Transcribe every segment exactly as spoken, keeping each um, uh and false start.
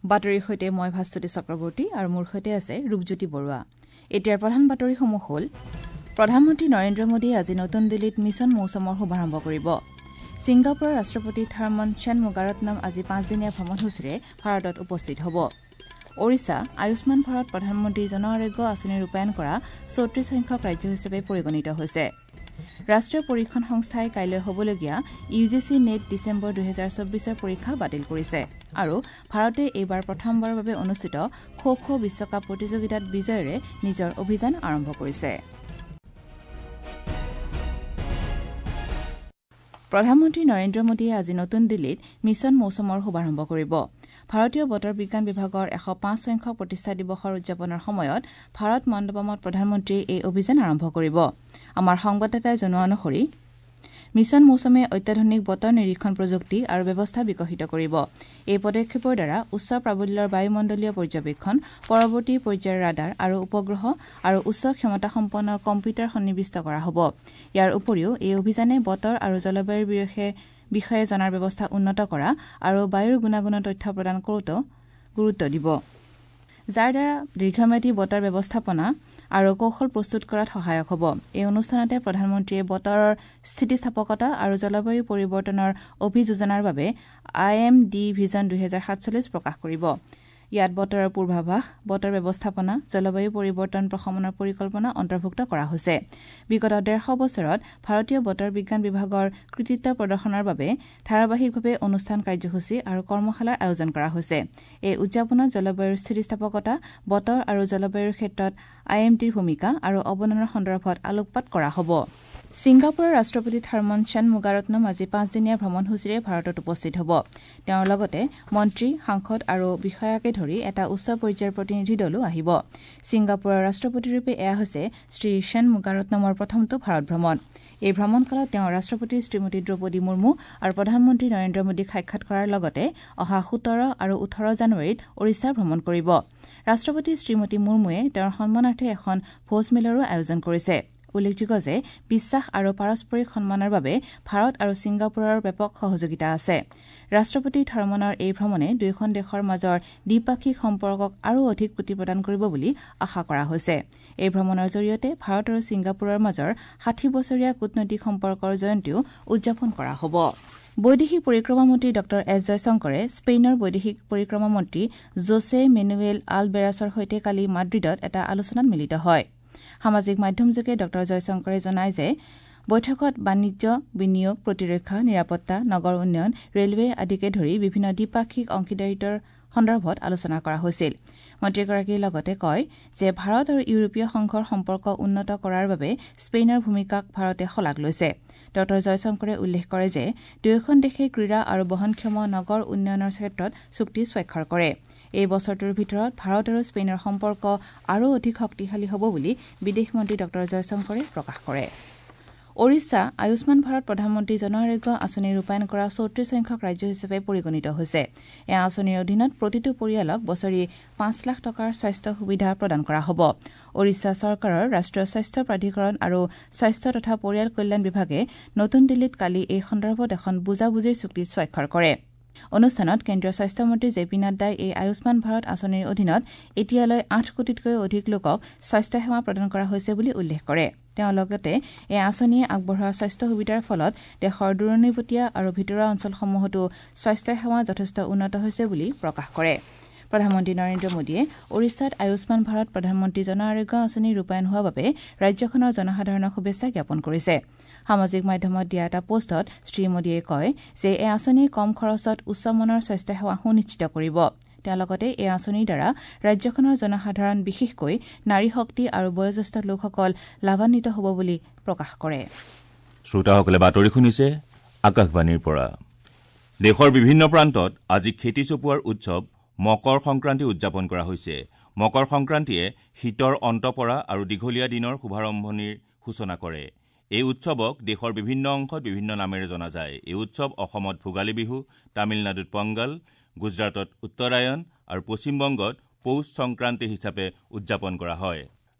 বাতৰিৰ সৈতে মই ভাস্বতী চক্ৰৱৰ্তী আৰু মোৰ সৈতে আছে ৰূপজ্যোতি বৰুৱা। এতিয়াৰ প্ৰধান বাতৰিসমূহ হ'ল: প্ৰধানমন্ত্ৰী নৰেন্দ্ৰ মোদীয়ে আজি নতুন দিল্লীত মিছন মৌচমৰ শুভাৰম্ভ কৰিব। ছিংগাপুৰৰ ৰাষ্ট্ৰপতি থাৰ্মন ষণমুগাৰত্নম আজি পাঁচদিনীয়া ভ্ৰমণসূচীৰে ভাৰতত উপস্থিত হ'ব। ওড়িশা আয়ুষ্মান ভাৰত প্ৰধানমন্ত্ৰী জন আৰোগ্য আঁচনি ৰূপায়ণ কৰা চৌত্ৰিশ সংখ্যক ৰাজ্য হিচাপে পৰিগণিত হৈছে। ৰাষ্ট্ৰীয় পৰীক্ষণ সংস্থাই কাইলৈ হ'বলগীয়া U G C NET December দুহেজাৰ চৌব্বিছৰ পৰীক্ষা বাতিল কৰিছে। আৰু ভাৰতে এইবাৰ প্ৰথমবাৰৰ বাবে অনুষ্ঠিত খো খো বিশ্বকাপ প্ৰতিযোগিতাত বিজয়েৰে নিজৰ অভিযান আৰম্ভ কৰিছে। প্ৰধানমন্ত্ৰী নৰেন্দ্ৰ মোদীয়ে আজি নতুন দিল্লীত মিছন মৌচমৰ শুভাৰম্ভ কৰিব। ভাৰতীয় বতৰ বিজ্ঞান বিভাগৰ এশ পাঁচ সংখ্যক প্ৰতিষ্ঠা দিৱসৰ উদযাপনৰ সময়ত ভাৰত মণ্ডপমত প্ৰধানমন্ত্ৰীয়ে এই অভিযান আৰম্ভ কৰিব। আমাৰ সংবাদদাতাই জনোৱা অনুসৰি মিছন মৌচমে অত্যাধুনিক বতৰ নিৰীক্ষণ প্ৰযুক্তি আৰু ব্যৱস্থা বিকশিত কৰিব। এই পদক্ষেপৰ দ্বাৰা উচ্চ প্ৰাবল্যৰ বায়ুমণ্ডলীয় পৰ্যবেক্ষণ, পৰৱৰ্তী পৰ্যায়ৰ ৰাডাৰ আৰু উপগ্ৰহ আৰু উচ্চ ক্ষমতাসম্পন্ন কম্পিউটাৰ সন্নিৱিষ্ট কৰা হ'ব। ইয়াৰ উপৰিও এই অভিযানে বতৰ আৰু জলবায়ুৰ বিষয়ে জনাৰ ব্যৱস্থা উন্নত কৰা আৰু বায়ুৰ গুণাগুণৰ তথ্য প্ৰদান কৰোঁতেও গুৰুত্ব দিব, যাৰ দ্বাৰা দীৰ্ঘম্যাদী বতৰ ব্যৱস্থাপনা আৰু কৌশল প্ৰস্তুত কৰাত সহায়ক হ'ব। এই অনুষ্ঠানতে প্ৰধানমন্ত্ৰীয়ে বতৰৰ স্থিতিস্থাপকতা আৰু জলবায়ু পৰিৱৰ্তনৰ অভিযোজনাৰ বাবে I am D vision দুহেজাৰ সাতচল্লিছ প্ৰকাশ কৰিব। ইয়াত বতৰৰ পূৰ্বাভাস, বতৰ ব্যৱস্থাপনা, জলবায়ু পৰিৱৰ্তন প্ৰশমনৰ পৰিকল্পনা অন্তৰ্ভুক্ত কৰা হৈছে। বিগত ডেৰশ বছৰত ভাৰতীয় বতৰ বিজ্ঞান বিভাগৰ কৃতিত্ব প্ৰদৰ্শনৰ বাবে ধাৰাবাহিকভাৱে অনুষ্ঠান, কাৰ্যসূচী আৰু কৰ্মশালাৰ আয়োজন কৰা হৈছে। এই উদযাপনত জলবায়ুৰ স্থিতিস্থাপকতা, বতৰ আৰু জলবায়ুৰ ক্ষেত্ৰত I am ডিৰ ভূমিকা আৰু অৱদানৰ সন্দৰ্ভত আলোকপাত কৰা হ'ব। ছিংগাপুৰৰ ৰাষ্ট্ৰপতি থাৰ্মন ষণমুগাৰত্নম আজি পাঁচদিনীয়া ভ্ৰমণসূচীৰে ভাৰতত উপস্থিত হ'ব। তেওঁৰ লগতে মন্ত্ৰী, সাংসদ আৰু বিষয়াকে ধৰি এটা উচ্চ পৰ্যায়ৰ প্ৰতিনিধি দলো আহিব। ছিংগাপুৰৰ ৰাষ্ট্ৰপতিৰূপে এয়া হৈছে শ্ৰী ষণমুগাৰত্নমৰ প্ৰথমটো ভাৰত ভ্ৰমণ। এই ভ্ৰমণকালত তেওঁ ৰাষ্ট্ৰপতি শ্ৰীমতী দ্ৰৌপদী মুৰ্মু আৰু প্ৰধানমন্ত্ৰী নৰেন্দ্ৰ মোদীক সাক্ষাৎ কৰাৰ লগতে অহা সোতৰ আৰু ওঠৰ জানুৱাৰীত ওড়িশা ভ্ৰমণ কৰিব। ৰাষ্ট্ৰপতি শ্ৰীমতী মুৰ্মুৱে তেওঁৰ সন্মানাৰ্থে এখন ভোজমেলৰো আয়োজন কৰিছে। উল্লেখযোগ্য যে বিশ্বাস আৰু পাৰস্পৰিক সন্মানৰ বাবে ভাৰত আৰু ছিংগাপুৰৰ ব্যাপক সহযোগিতা আছে। ৰাষ্ট্ৰপতি থাৰ্মনৰ এই ভ্ৰমণে দুয়োখন দেশৰ মাজৰ দ্বিপাক্ষিক সম্পৰ্কক আৰু অধিক গতি প্ৰদান কৰিব বুলি আশা কৰা হৈছে। এই ভ্ৰমণৰ জৰিয়তে ভাৰত আৰু ছিংগাপুৰৰ মাজৰ ষাঠি বছৰীয়া কূটনৈতিক সম্পৰ্কৰ জয়ন্তীও উদযাপন কৰা হ'ব। বৈদেশিক পৰিক্ৰমা মন্ত্ৰী ডঃ এছ জয়শংকৰে স্পেইনৰ বৈদেশিক পৰিক্ৰমা মন্ত্ৰী জোছে মেনুৱেল আলবেৰাছৰ সৈতে কালি মাদ্ৰিদত এটা আলোচনাত মিলিত হয়। সামাজিক মাধ্যমযোগে ডঃ জয়শংকৰে জনায় যে বৈঠকত বাণিজ্য, বিনিয়োগ, প্ৰতিৰক্ষা, নিৰাপত্তা, নগৰ উন্নয়ন, ৰেলৱে আদিকে ধৰি বিভিন্ন দ্বিপাক্ষিক অংশীদাৰিত্বৰ সন্দৰ্ভত আলোচনা কৰা হৈছিল। মন্ত্ৰীগৰাকীয়ে লগতে কয় যে ভাৰত আৰু ইউৰোপীয় সংঘৰ সম্পৰ্ক উন্নত কৰাৰ বাবে স্পেইনৰ ভূমিকাক ভাৰতে শলাগ লৈছে। ডঃ জয়শংকৰে উল্লেখ কৰে যে দুয়োখন দেশে ক্ৰীড়া আৰু বহনক্ষম নগৰ উন্নয়নৰ ক্ষেত্ৰত চুক্তি স্বাক্ষৰ কৰে। এই বছৰটোৰ ভিতৰত ভাৰত আৰু স্পেইনৰ সম্পৰ্ক আৰু অধিক শক্তিশালী হ'ব বুলি বিদেশ মন্ত্ৰী ডঃ জয়শংকৰে প্ৰকাশ কৰে। ওড়িশা আয়ুষ্মান ভাৰত প্ৰধানমন্ত্ৰী জন আৰোগ্য আঁচনি ৰূপায়ণ কৰা চৌত্ৰিশ সংখ্যক ৰাজ্য হিচাপে পৰিগণিত হৈছে। এই আঁচনিৰ অধীনত প্ৰতিটো পৰিয়ালক বছৰি পাঁচ লাখ টকাৰ স্বাস্থ্য সুবিধা প্ৰদান কৰা হ'ব। ওড়িশা চৰকাৰৰ ৰাষ্ট্ৰীয় স্বাস্থ্য প্ৰাধিকৰণ আৰু স্বাস্থ্য তথা পৰিয়াল কল্যাণ বিভাগে নতুন দিল্লীত কালি এই সন্দৰ্ভত এখন বুজাবুজিৰ চুক্তি স্বাক্ষৰ কৰে। অনুষ্ঠানত কেন্দ্ৰীয় স্বাস্থ্যমন্ত্ৰী জে পি নাড্ডাই এই আয়ুষ্মান ভাৰত আঁচনিৰ অধীনত এতিয়ালৈ আঠ কোটিতকৈও অধিক লোকক স্বাস্থ্যসেৱা প্ৰদান কৰা হৈছে বুলি উল্লেখ কৰে। তেওঁ লগতে এই আঁচনিয়ে আগবঢ়োৱা স্বাস্থ্য সুবিধাৰ ফলত দেশৰ দূৰণিবটীয়া আৰু ভিতৰুৱা অঞ্চলসমূহতো স্বাস্থ্যসেৱা যথেষ্ট উন্নত হৈছে বুলি প্ৰকাশ কৰে। প্ৰধানমন্ত্ৰী নৰেন্দ্ৰ মোদীয়ে ওড়িশাত আয়ুষ্মান ভাৰত প্ৰধানমন্ত্ৰী জন আৰোগ্য আঁচনি ৰূপায়ণ হোৱাৰ বাবে ৰাজ্যখনৰ জনসাধাৰণক শুভেচ্ছা জ্ঞাপন কৰিছে। সামাজিক মাধ্যমত দিয়া এটা পোষ্টত শ্ৰীমোদীয়ে কয় যে এই আঁচনিয়ে কম খৰচত উচ্চমানৰ স্বাস্থ্যসেৱা সুনিশ্চিত কৰিব। তেওঁ লগতে এই আঁচনিৰ দ্বাৰা ৰাজ্যখনৰ জনসাধাৰণ, বিশেষকৈ নাৰী শক্তি আৰু বয়োজ্যেষ্ঠ লোকসকল লাভান্বিত হ'ব বুলি প্ৰকাশ কৰে। শ্ৰোতাসকলে বাতৰি শুনিছে আকাশবাণীৰ পৰা। দেশৰ বিভিন্ন প্ৰান্তত আজি খেতি চপোৱাৰ উৎসৱ মকৰ সংক্ৰান্তি উদযাপন কৰা হৈছে। মকৰ সংক্ৰান্তিয়ে শীতৰ অন্ত পৰা আৰু দীঘলীয়া দিনৰ শুভাৰম্ভণিৰ সূচনা কৰে। এই উৎসৱক দেশৰ বিভিন্ন অংশত বিভিন্ন নামেৰে জনা যায়। এই উৎসৱ অসমত ভোগালী বিহু, তামিলনাডুত পংগল, গুজৰাটত উত্তৰায়ণ আৰু পশ্চিমবংগত পৌষ সংক্ৰান্তি হিচাপে উদযাপন কৰা হয়।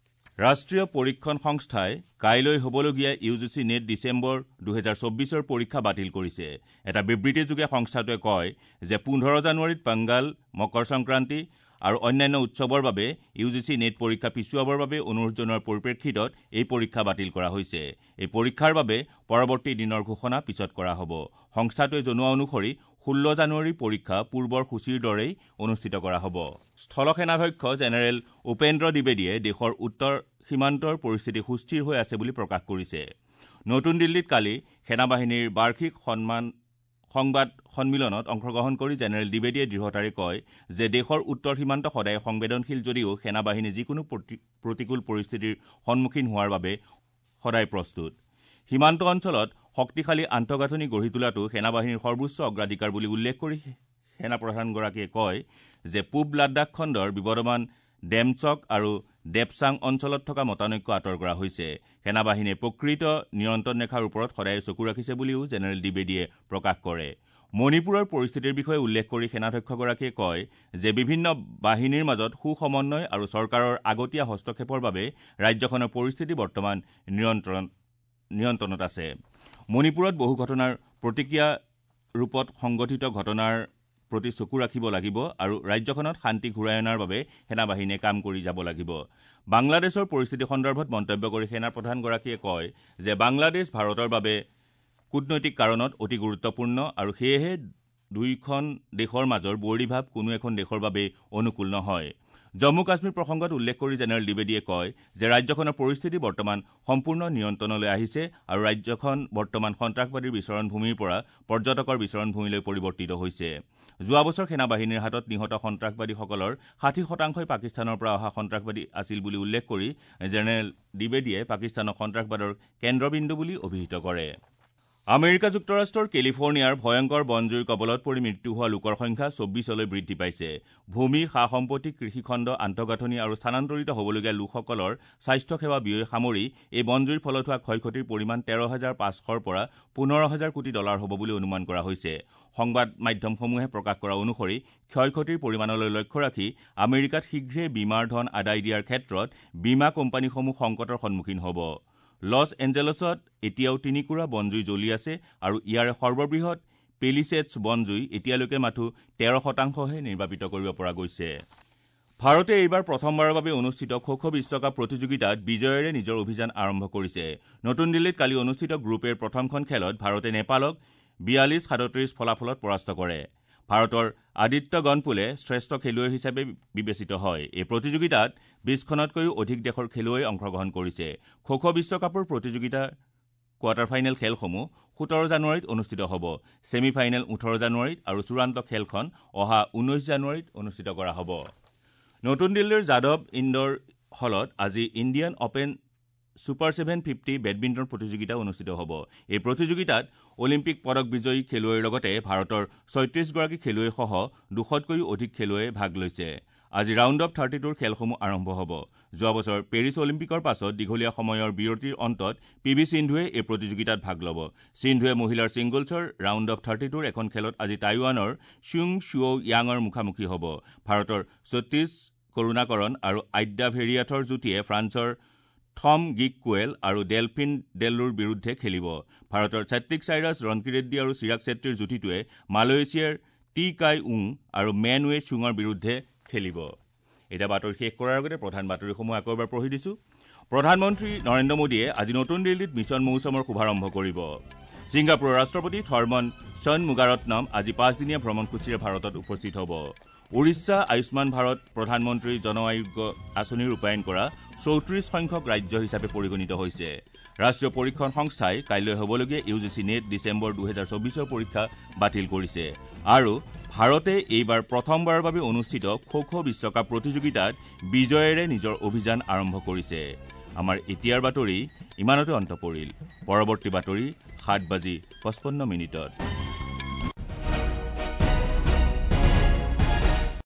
ৰাষ্ট্ৰীয় পৰীক্ষণ সংস্থাই কাইলৈ হ'বলগীয়া U G C NET December দুহেজাৰ চৌব্বিছৰ পৰীক্ষা বাতিল কৰিছে। এটা বিবৃতিযোগে সংস্থাটোৱে কয় যে পোন্ধৰ জানুৱাৰীত পংগাল, মকৰ সংক্ৰান্তি আৰু অন্যান্য উৎসৱৰ বাবে ইউ জি চি নেট পৰীক্ষা পিছুৱাবৰ বাবে অনুৰোধ জনোৱাৰ পৰিপ্ৰেক্ষিতত এই পৰীক্ষা বাতিল কৰা হৈছে। এই পৰীক্ষাৰ বাবে পৰৱৰ্তী দিনৰ ঘোষণা পিছত কৰা হ'ব। সংস্থাটোৱে জনোৱা অনুসৰি ষোল্ল জানুৱাৰীৰ পৰীক্ষা পূৰ্বৰ সূচীৰ দৰেই অনুষ্ঠিত কৰা হ'ব। স্থলসেনাধ্যক্ষ জেনেৰেল উপেন্দ্ৰ দ্বিবেদীয়ে দেশৰ উত্তৰ সীমান্তৰ পৰিস্থিতি সুস্থিৰ হৈ আছে বুলি প্ৰকাশ কৰিছে। নতুন দিল্লীত কালি সেনাবাহিনীৰ বাৰ্ষিক সন্মান সংবাদ সন্মিলনত অংশগ্ৰহণ কৰি জেনেৰেল দ্বিবেদীয়ে দৃঢ়তাৰে কয় যে দেশৰ উত্তৰ সীমান্ত সদায় সংবেদনশীল যদিও সেনাবাহিনী যিকোনো প্ৰতিকূল পৰিস্থিতিৰ সন্মুখীন হোৱাৰ বাবে সদায় প্ৰস্তুত। সীমান্ত অঞ্চলত শক্তিশালী আন্তঃগাঁথনি গঢ়ি তোলাটো সেনাবাহিনীৰ সৰ্বোচ্চ অগ্ৰাধিকাৰ বুলি উল্লেখ কৰি সেনাপ্ৰধানগৰাকীয়ে কয় যে পূব লাডাখ খণ্ডৰ বিবদমান ডেমচক আৰু ডেপচাং অঞ্চলত থকা মতানৈক্য আঁতৰ কৰা হৈছে। সেনাবাহিনীয়ে প্ৰকৃত নিয়ন্ত্ৰণ ৰেখাৰ ওপৰত সদায় চকু ৰাখিছে বুলিও জেনেৰেল দ্বিবেদীয়ে প্ৰকাশ কৰে। মণিপুৰৰ পৰিস্থিতিৰ বিষয়ে উল্লেখ কৰি সেনাধ্যক্ষগৰাকীয়ে কয় যে বিভিন্ন বাহিনীৰ মাজত সুসমন্বয় আৰু চৰকাৰৰ আগতীয়া হস্তক্ষেপৰ বাবে ৰাজ্যখনৰ পৰিস্থিতি বৰ্তমান নিয়ন্ত্ৰণ নিয়ন্ত্ৰণত আছে। মণিপুৰত বহু ঘটনাৰ প্ৰতিক্ৰিয়া ৰূপত সংঘটিত ঘটনাৰ প্ৰতি চকু ৰাখিব লাগিব আৰু ৰাজ্যখনত শান্তি ঘূৰাই অনাৰ বাবে সেনাবাহিনীয়ে কাম কৰি যাব লাগিব। বাংলাদেশৰ পৰিস্থিতি সন্দৰ্ভত মন্তব্য কৰি সেনাপ্ৰধানগৰাকীয়ে কয় যে বাংলাদেশ ভাৰতৰ বাবে কূটনৈতিক কাৰণত অতি গুৰুত্বপূৰ্ণ আৰু সেয়েহে দুয়োখন দেশৰ মাজৰ বৈৰীভাৱ কোনো এখন দেশৰ বাবে অনুকূল নহয়। জম্মু কাশ্মীৰ প্ৰসংগত উল্লেখ কৰি জেনেৰেল দ্বিবেদীয়ে কয় যে ৰাজ্যখনৰ পৰিস্থিতি বৰ্তমান সম্পূৰ্ণ নিয়ন্ত্ৰণলৈ আহিছে আৰু ৰাজ্যখন বৰ্তমান সন্ত্ৰাসবাদীৰ বিচৰণভূমিৰ পৰা পৰ্যটকৰ বিচৰণভূমিলৈ পৰিৱৰ্তিত হৈছে। যোৱা বছৰ সেনাবাহিনীৰ হাতত নিহত সন্ত্ৰাসবাদীসকলৰ ষাঠি শতাংশই পাকিস্তানৰ পৰা অহা সন্ত্ৰাসবাদী আছিল বুলি উল্লেখ কৰি জেনেৰেল দ্বিবেদীয়ে পাকিস্তানক সন্ত্ৰাসবাদৰ কেন্দ্ৰবিন্দু বুলি অভিহিত কৰে। আমেৰিকা যুক্তৰাষ্ট্ৰৰ কেলিফৰ্ণিয়াৰ ভয়ংকৰ বনজুইৰ কবলত পৰি মৃত্যু হোৱা লোকৰ সংখ্যা চৌব্বিছলৈ বৃদ্ধি পাইছে। ভূমি, সা সম্পত্তি, কৃষিখণ্ড, আন্তঃগাঁথনি আৰু স্থানান্তৰিত হ'বলগীয়া লোকসকলৰ স্বাস্থ্যসেৱা ব্যয় সামৰি এই বনজুইৰ ফলত হোৱা ক্ষয়ক্ষতিৰ পৰিমাণ তেৰ হাজাৰ পাঁচশৰ পৰা পোন্ধৰ হাজাৰ কোটি ডলাৰ হ'ব বুলি অনুমান কৰা হৈছে। সংবাদ মাধ্যমসমূহে প্ৰকাশ কৰা অনুসৰি ক্ষয়ক্ষতিৰ পৰিমাণলৈ লক্ষ্য ৰাখি আমেৰিকাত শীঘ্ৰে বীমাৰ ধন আদায় দিয়াৰ ক্ষেত্ৰত বীমা কোম্পানীসমূহ সংকটৰ সন্মুখীন হ'ব। লছ এঞ্জেলছত এতিয়াও তিনিকুৰা বনজুই জ্বলি আছে আৰু ইয়াৰে সৰ্ববৃহৎ পেলিচেটছ বনজুই এতিয়ালৈকে মাথো তেৰ শতাংশহে নিৰ্বাপিত কৰিব পৰা গৈছে। ভাৰতে এইবাৰ প্ৰথমবাৰৰ বাবে অনুষ্ঠিত খো খো বিশ্বকাপ প্ৰতিযোগিতাত বিজয়েৰে নিজৰ অভিযান আৰম্ভ কৰিছে। নতুন দিল্লীত কালি অনুষ্ঠিত গ্ৰুপ এৰ প্ৰথমখন খেলত ভাৰতে নেপালক বিয়াল্লিছ সাতত্ৰিছ ফলাফলত পৰাস্ত কৰে। ভাৰতৰ আদিত্য গণপুলে শ্ৰেষ্ঠ খেলুৱৈ হিচাপে বিবেচিত হয়। এই প্ৰতিযোগিতাত বিছখনতকৈও অধিক দেশৰ খেলুৱৈয়ে অংশগ্ৰহণ কৰিছে। খো খো বিশ্বকাপৰ প্ৰতিযোগিতাৰ কোৱাৰ্টাৰ ফাইনেল খেলসমূহ সোতৰ জানুৱাৰীত অনুষ্ঠিত হ'ব। ছেমি ফাইনেল ওঠৰ জানুৱাৰীত আৰু চূড়ান্ত খেলখন অহা ঊনৈশ জানুৱাৰীত অনুষ্ঠিত কৰা হ'ব। নতুন দিল্লীৰ যাদৱ ইণ্ডোৰ হলত আজি Indian Open super seven fifty badminton প্ৰতিযোগিতা অনুষ্ঠিত হ'ব। এই প্ৰতিযোগিতাত অলিম্পিক পদক বিজয়ী খেলুৱৈৰ লগতে ভাৰতৰ ছয়ত্ৰিছগৰাকী খেলুৱৈসহ দুশতকৈও অধিক খেলুৱৈয়ে ভাগ লৈছে। আজি ৰাউণ্ড অৱ থাৰ্টি টুৰ খেলসমূহ আৰম্ভ হ'ব। যোৱা বছৰ পেৰিছ অলিম্পিকৰ পাছত দীঘলীয়া সময়ৰ বিৰতিৰ অন্তত পি ভি সিন্ধুৱে এই প্ৰতিযোগিতাত ভাগ ল'ব। সিন্ধুৱে মহিলাৰ ছিংগলছৰ ৰাউণ্ড অৱ থাৰ্টি টুৰ এখন খেলত আজি টাইৱানৰ ছুং ছুঅ য়াঙৰ মুখামুখি হ'ব। ভাৰতৰ সতীশ কৰুণাকৰণ আৰু আদ্যা ভেৰিয়াথৰ যুটীয়ে ফ্ৰান্সৰ থম গিক কুৱেল আৰু ডেলফিন ডেল্লোৰ বিৰুদ্ধে খেলিব। ভাৰতৰ ছাত্বিক চাইৰাছ, ৰনকি ৰেড্ডী আৰু চিৰাগ চেত্ৰীৰ যুটীটোৱে মালয়েছিয়াৰ টি কাই উং আৰু মেন ৱে চুঙৰ বিৰুদ্ধে খেলিব। এতিয়া বাতৰি শেষ কৰাৰ আগতে প্ৰধান বাতৰিসমূহ আকৌ এবাৰ পঢ়ি দিছোঁ। প্ৰধানমন্ত্ৰী নৰেন্দ্ৰ মোদীয়ে আজি নতুন দিল্লীত মিছন মৌচমৰ শুভাৰম্ভ কৰিব। ছিংগাপুৰৰ ৰাষ্ট্ৰপতি থৰ্মন চনমুগাৰত্নম আজি পাঁচদিনীয়া ভ্ৰমণসূচীৰে ভাৰতত উপস্থিত হ'ব। উৰিষ্যা আয়ুষ্মান ভাৰত প্ৰধানমন্ত্ৰী জন আৰোগ্য আঁচনি ৰূপায়ণ কৰা চৌত্ৰিশ সংখ্যক ৰাজ্য হিচাপে পৰিগণিত হৈছে। ৰাষ্ট্ৰীয় পৰীক্ষণ সংস্থাই কাইলৈ হ'বলগীয়া U G C NET December দুহেজাৰ চৌবিছৰ পৰীক্ষা বাতিল কৰিছে। আৰু ভাৰতে এইবাৰ প্ৰথমবাৰৰ বাবে অনুষ্ঠিত খো খো বিশ্বকাপ প্ৰতিযোগিতাত বিজয়েৰে নিজৰ অভিযান আৰম্ভ কৰিছে। আমাৰ এতিয়াৰ বাতৰি ইমানতে অন্ত পৰিল। পৰৱৰ্তী বাতৰি সাত বাজি পঁচপন্ন মিনিটত।